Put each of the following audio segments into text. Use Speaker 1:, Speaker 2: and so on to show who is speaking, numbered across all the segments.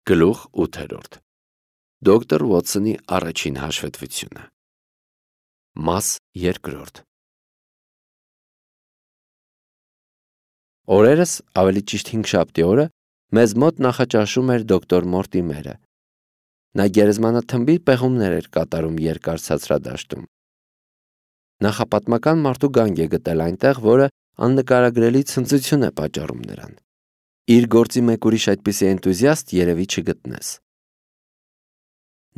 Speaker 1: Գլուխ 8. Դոկտոր Ուոթսոնի առաջին հաշվետվությունը։ Մաս 2. Օրերս, ավելի ճիշտ հինգշաբթի օրը, մեզ մոտ նախաճաշում էր դոկտոր Մորտիմերը։ Նա գերեզմանաթմբի պեղումներ էր կատարում երկար ցածրադաշտում։ Նախապատմական մարդու գանգ է գտել այնտեղ, որը աննկարագրելի ցնծություն է պատճառում նրան։ Իր գործի մեկ ուրիշ այդպիսի էնտուզիաստ երևի չգտնես։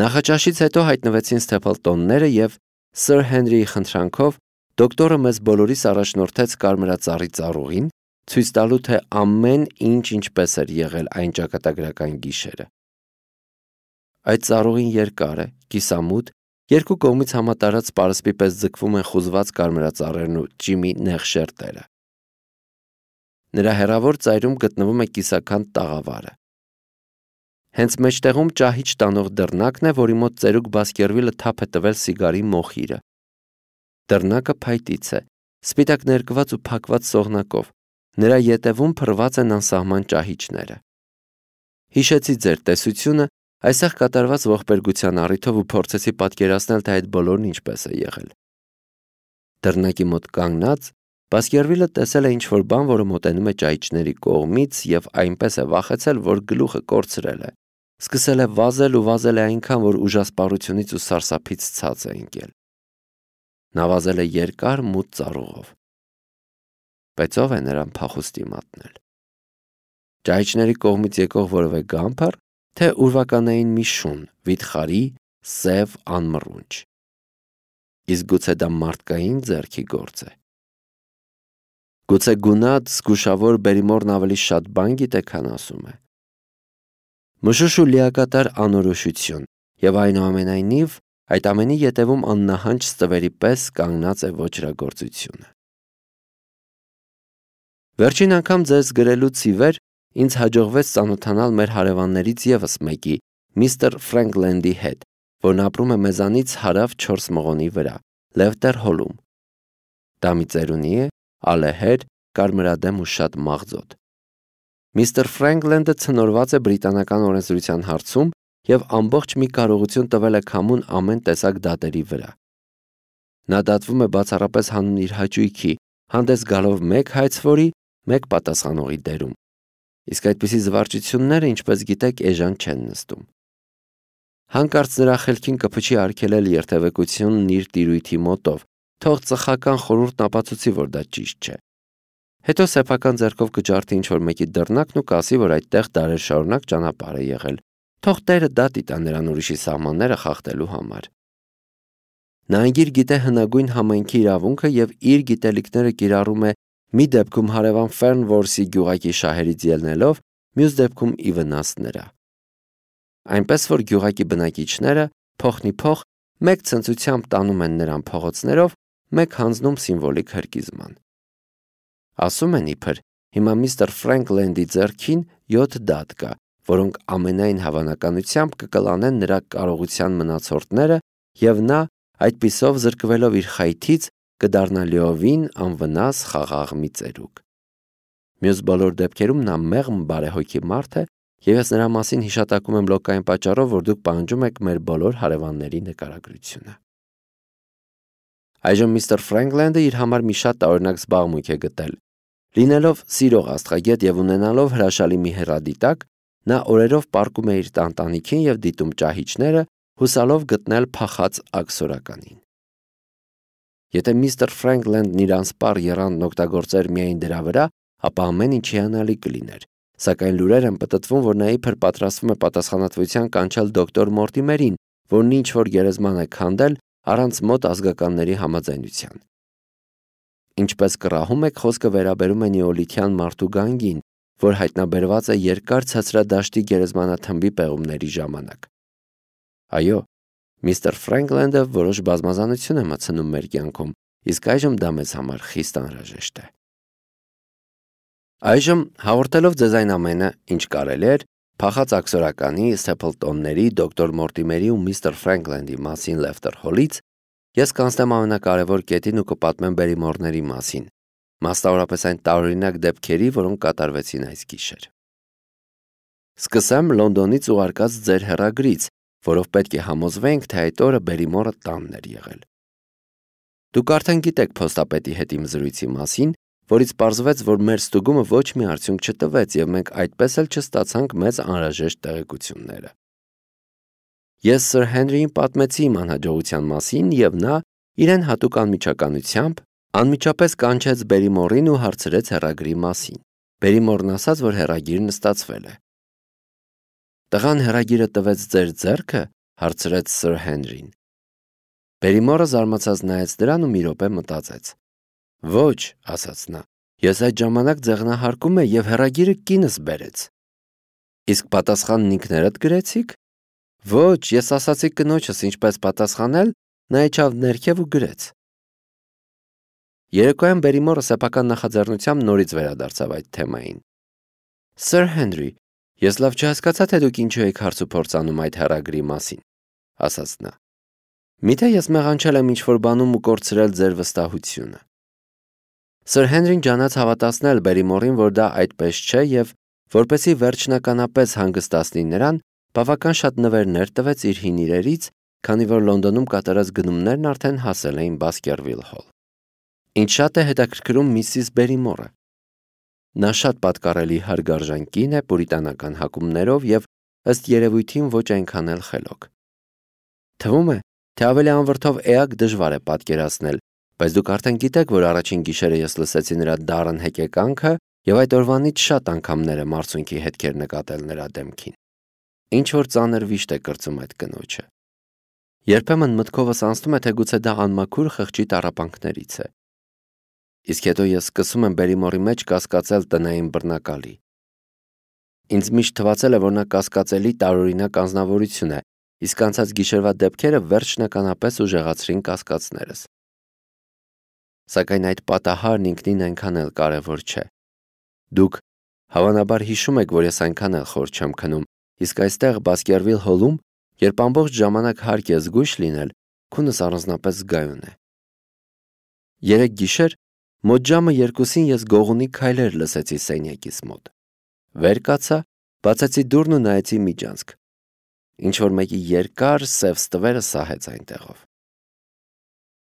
Speaker 1: Նախաճաշից հետո հայտնվեցին Սթեփլտոնները և Սըր Հենրիի խնդրանքով դոկտորը մեզ բոլորիս առաջնորդեց կարմրածառի ծառուղին, ցույց տալու, թե ամեն ինչ ինչպես էր եղել այն ճակատագրական գիշերը։ Այդ ծառուղին երկար է, կիսամութ, երկու կողմից համատարած պարսպի պես ձգվում են խուզված կարմրածառերն ու ճիմի նեղ շերտերը։ Նրա հեռավոր ծայրում գտնվում է կիսաքանդ տաղավարը։ Հենց մեջտեղում ճահիճ տանող դռնակն է, որի մոտ ծերուկ Բասկերվիլը թափ է տվել սիգարի մոխիրը։ Դռնակը փայտից է, սպիտակ ներկված ու փակված սողնակով։ Նրա ետևում փռված են անսահման ճահիճները։ Հիշեցի ձեր տեսությունը այստեղ կատարված ողբերգության առիթով ու փորձեցի պատկերացնել, թե այդ բոլորն ինչպես է եղել։ Դռնակի մոտ կանգնած Բասկերվիլը տեսել է ինչ-որ բան, որը մոտենում է ճահիճների կողմից և այնպես է վախեցել, որ գլուխը կորցրել է։ Սկսել է վազել ու վազել է այնքան, որ ուժասպառությունից ու սարսափից ցած է ընկել։ Նա վազել է երկար մութ ծառուղով։ Բայց ով է նրան փախուստի մատնել։ Ճահիճների կողմից եկող որևէ գամփար, թե ուրվականային մի շուն, վիթխարի, սև անմռունչ։ Իսկ գուցե դա մարդկային ձեռքի գործ է։ Գուցե գունատ, զգուշավոր Բերիմորն ավելի շատ բան գիտե, քան ասում է։ Մշուշ ու լիակատար անորոշություն, և այնուամենայնիվ այդ ամենի ետևում աննահանջ ստվերի պես կանգնած է ոճրագործությունը։ Վերջին անգամ ձեզ գրելուց ի վեր ինձ հաջողվեց ծանոթանալ մեր հարևաններից ևս մեկի, միստր Ֆրենքլենդի հետ, որն ապրում է մեզանից հարավ 4 մղոնի վրա, Լևտեր հոլում։ Դա մի ծերունի է, ալեհեր, կարմրադեմ ու շատ մաղձոտ։ Միստր Ֆրենքլենդը ցնորված է բրիտանական օրենսդրության հարցում և ամբողջ մի կարողություն տվել է քամուն ամեն տեսակ դատերի վրա։ Նա դատվում է բացառապես հանուն իր հաճույքի, հանդես գալով մեկ հայցվորի, մեկ պատասխանողի դերում։ Իսկ այդպիսի զվարճությունները, ինչպես գիտեք, էժան չեն նստում։ Հանկարծ նրա խելքին կփչի արգելել երթևեկությունն իր տիրույթի մոտով, թող ծխական խորհուրդն ապացուցի, որ դա ճիշտ չէ։ Հետո սեփական ձեռքով կջարդի ինչ-որ մեկի դռնակն ու կասի, որ այդտեղ դարեր շարունակ ճանապարհ է եղել, թող տերը դատի տա նրան ուրիշի սահմանները խախտելու համար։ Նա անգիր գիտե հնագույն համայնքի իրավունքը և իր գիտելիքները կիրառում է մի դեպքում հարևան Ֆերնվորսի գյուղակի շահերից ելնելով, մյուս դեպքում ի վնաս նրա։ Այնպես որ գյուղակի բնակիչները փոխնիփոխ մեկ ցնծությամբ տանում են նրան փողոցներով, մեկ հանձնում սիմվոլիկ հրկիզման։ Ասում են իբր, հիմա միստր Ֆրենքլենդի ձեռքին 7 դատ կա, որոնք ամենայն հավանականությամբ կկլանեն նրա կարողության մնացորդները, և նա, այդպիսով զրկվելով իր խայթից, կդառնա լիովին անվնաս խաղաղ մի ծերուկ։ Մյուս բոլոր դեպքերում նա մեղմ բարեհոգի մարդ է, և ես նրա մասին հիշատակում եմ լոկային պատճառով, որ դուք պահանջում եք մեր բոլոր հարևանների նկարագրությունը։ Այժմ միստր Ֆրենքլենդը իր համար մի շատ տարօրինակ զբաղմունք է գտել։ Լինելով սիրող աստղագետ և ունենալով հրաշալի մի հեռադիտակ, նա օրերով պառկում է իր տանտանիքին և դիտում ճահիճները, հուսալով գտնել փախած աքսորականին։ Եթե միստր Ֆրենքլենդն իր անսպառ եռանդն օգտագործեր միայն դրա վրա, ապա ամեն ինչ հիանալի կլիներ, սակայն լուրեր են պտտվում, որ նա իբր պատրաստվում է պատասխանատվության կանչել դոկտոր Մորտիմերին, որն ինչ-որ գերեզման է քանդել առանց մոտ ազգականների համաձայնության։ Ինչպես կռահում եք, խոսքը վերաբերում է նեոլիթյան մարդու գանգին, որ հայտնաբերված է երկար ցածրադաշտի գերեզմանաթմբի պեղումների ժամանակ։ Այո, միստր Ֆրենքլենդը որոշ բազմազանություն է մտցնում մեր կյանքում, իսկ այժմ դա մեզ համար խիստ անհրաժեշտ է։ Այժմ, հաղորդելով ձեզ այն ամենը, ինչ կարելի էր, փախած աքսորականի, Սթեփլտոնների, դոկտոր Մորտիմերի ու միստր Ֆրենքլենդի մասին Լևտեր հոլից, ես կանցնեմ ամենակարևոր կետին ու կպատմեմ Բերիմորների մասին, մասնավորապես այն տարօրինակ դեպքերի, որոնք կատարվեցին այս գիշեր։ Սկսեմ Լոնդոնից ուղարկած ձեր հեռագրից, որով պետք է համոզվենք, թե այդ օրը Բերիմորը տանն էր եղել։ Դուք արդեն գիտեք փոստապետի հետ իմ զրույցի մասին, որից պարզվեց, որ մեր ստուգումը ոչ մի արդյունք չտվեց եւ մենք այդպես էլ չստացանք մեզ անհրաժեշտ տեղեկությունները։ Ես Սր Հենրիին պատմեցի իմ անհաջողության մասին եւ նա իրեն հատուկ անմիջականությամբ անմիջապես կանչեց Բերիմորին ու հարցրեց հեռագրի մասին։ Բերիմորն ասաց, որ հեռագիրն ստացվել է։ Տղան հեռագիրը տվեց ձեր ձեռքը, հարցրեց Սր Հենրին։ Բերիմորը զարմացած նայեց դրան ու մի րոպե մտածեց։ Ոչ, ասաց նա, ես այդ ժամանակ ձեղնահարկում եի եւ հեռագիրը կինս բերեց։ Իսկ պատասխանն ինքներդ գրեցիք։ Ոչ, ես ասացի կնոջս ինչպես պատասխանել, նա իջավ ներքև ու գրեց։ Երեկոյան Բերիմորը սեփական նախաձեռնությամբ նորից վերադարձավ այդ թեմային։ Սր Հենրի, ես լավ չհասկացա, թե դուք ինչու եք հարց ու փորձ անում այդ հեռագրի մասին, ասաց նա։ Միթե ես մեղանչել եմ ինչ-որ բանում ու կորցրել ձեր վստահությունը։ Սր Հենրին ջանաց հավատացնել Բերիմորին, որ դա այդպես չէ եւ որպեսզի վերջնականապես հանգստացնի նրան, բավական շատ նվերներ տվեց իր հին իրերից, քանի որ Լոնդոնում կատարած գնումներն արդեն հասել էին Բասկերվիլ Հոլ։ Ինչ շատ է հետաքրքրում Միսիս Բերիմորը։ Նա շատ պատկառելի հարգարժան կին է պուրիտանական հակումներով եւ ըստ երևույթին ոչ այնքան էլ խելոք։ Թվում է, թե ավելի անվրդով էակ դժվար է պատկերացնել, բայց դուք արդեն գիտեք, որ առաջին գիշերը ես լսեցի նրա դառն հեկեկանքը եւ այդ օրվանից շատ անգամներ եմ արցունքի հետքեր նկատել նրա դեմքին։ Ինչ որ ծանր վիշտ է կրծում այդ կնոջը։ Երբեմն մտքովս անցնում է, թե գուցե դա անմաքուր խղճի տառապանքներից է։ Իսկ հետո ես սկսում եմ Բերիմորի մեջ կասկածել տնային բռնակալի։ Ինձ միշտ թվացել է, որ նա կասկածելի տարօրինակ անձնավորություն է, իսկ անցած գիշերվա դեպքերը վերջնականապես ուժեղացրին կասկածներս։ Սակայն այդ պատահարն ինքնին այնքան էլ կարևոր չէ։ Դուք հավանաբար հիշում եք, որ ես այնքան էլ խոր չեմ քնում, իսկ այստեղ Բասկերվիլ Հոլում, երբ ամբողջ ժամանակ հարկ է զգույշ լինել, քունս առանձնապես զգայուն է։ Երեք գիշեր մոտ ժամը 2-ին ես գողունի քայլեր լսեցի սենյակիս մոտ։ Վեր կացա, բացեցի դուռն ու նայեցի միջանցք։ Ինչ որ մեկի երկար սև ստվերը սահեց այնտեղով։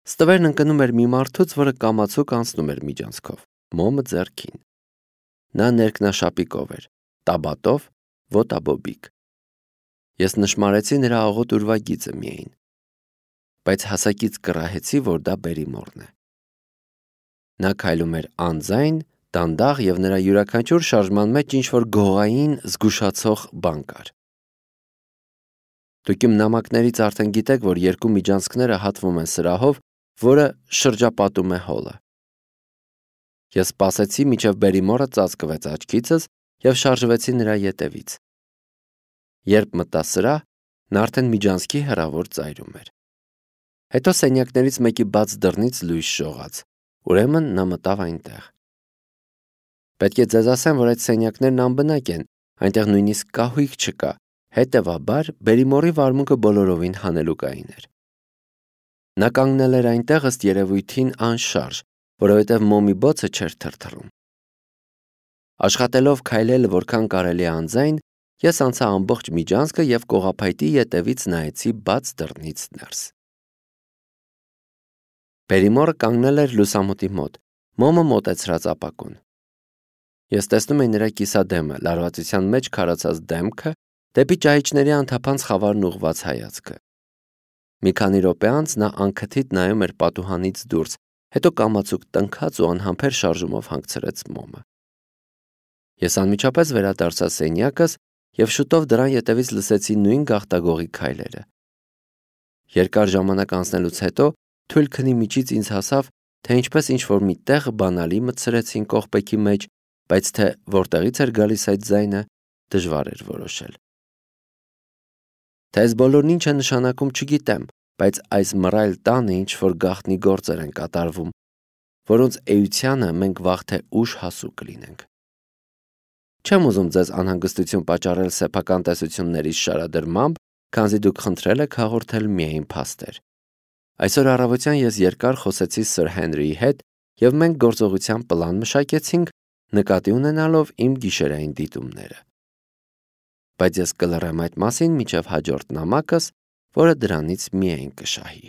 Speaker 1: Ստվերն ընկնում էր մի մարդուց, որը կամացուկ անցնում էր միջանցքով, մոմը ձեռքին։ Նա ներքնաշապիկով էր, տաբատով, ոտաբոբիկ։ Ես նշմարեցի նրա աղոտ ուրվագիծը միայն, բայց հասակից կռահեցի, որ դա Բերիմորն է։ Նա քայլում էր անձայն, դանդաղ եւ նրա յուրաքանչյուր շարժման մեջ ինչ-որ գողային, զգուշացող բան կար։ Դուք իմ նամակներից արդեն գիտեք, որ երկու միջանցքները հատվում են սրահով, որը շրջապատում է հոլը։ Ես սպասեցի, մինչև Բերիմորը ծածկվեց աչքիցս եւ շարժվեցի նրա ետևից։ Երբ մտա սրահ, նա արդեն միջանցքի հեռավոր ծայրում էր։ Հետո սենյակներից մեկի բաց դռնից լույս շողաց, ուրեմն նա մտավ այնտեղ։ Պետք է ձեզ ասեմ, որ այդ սենյակներն անբնակ են, այնտեղ նույնիսկ կահույք չկա, հետևաբար Բերիմորի վարմունքը բոլորովին հանելուկային էր։ Նա կանգնել էր այնտեղ ըստ երևույթին անշարժ, որովհետև մոմի բոցը չէր թրթռում։ Աշխատելով քայլել որքան կարելի է անձայն, ես անցա ամբողջ միջանցքը եւ կողափայտի ետևից նայեցի բաց դռնից ներս։ Բերիմորը կանգնել էր լուսամուտի մոտ, մոմը մոտեցրած ապակուն։ Ես տեսնում էի նրա կիսադեմը, լարվածության մեջ քարացած դեմքը, դեպի ճահիճների անթափանց խավարն ուղված հայացքը։ Մի քանի րոպե անց նա անքթիթ նայում էր պատուհանից դուրս, հետո կամացուկ տնքաց ու անհամբեր շարժումով հանգցրեց մոմը։ Ես անմիջապես վերադարձա սենյակս եւ շուտով դրան ետևից լսեցի նույն գաղտագողի քայլերը։ Երկար ժամանակ անցնելուց հետո թույլ քնի միջից ինձ հասավ, թե ինչպես ինչ-որ մի տեղ բանալի մտցրեցին կողպեքի մեջ, բայց թե որտեղից էր գալիս այդ ձայնը, դժվար էր որոշել։ Թե այս բոլորն ինչ է նշանակում, չգիտեմ, բայց այս մռայլ տանը ինչ-որ գաղտնի գործեր են կատարվում, որոնց էությանը մենք վաղ թե ուշ հասու կլինենք։ Չեմ ուզում ձեզ անհանգստություն պատճառել սեփական տեսություններից շարադրմամբ, քանզի դուք խնդրել եք հաղորդել միայն փաստեր։ Այսօր առավոտյան ես երկար խոսեցի Սր Հենրիի հետ եւ մենք գործողության պլան մշակեցինք, նկատի ունենալով իմ գիշերային դիտումները։ բայց ես կլռեմ այդ մասին մինչև հաջորդ նամակս, որը դրանից միայն կշահի։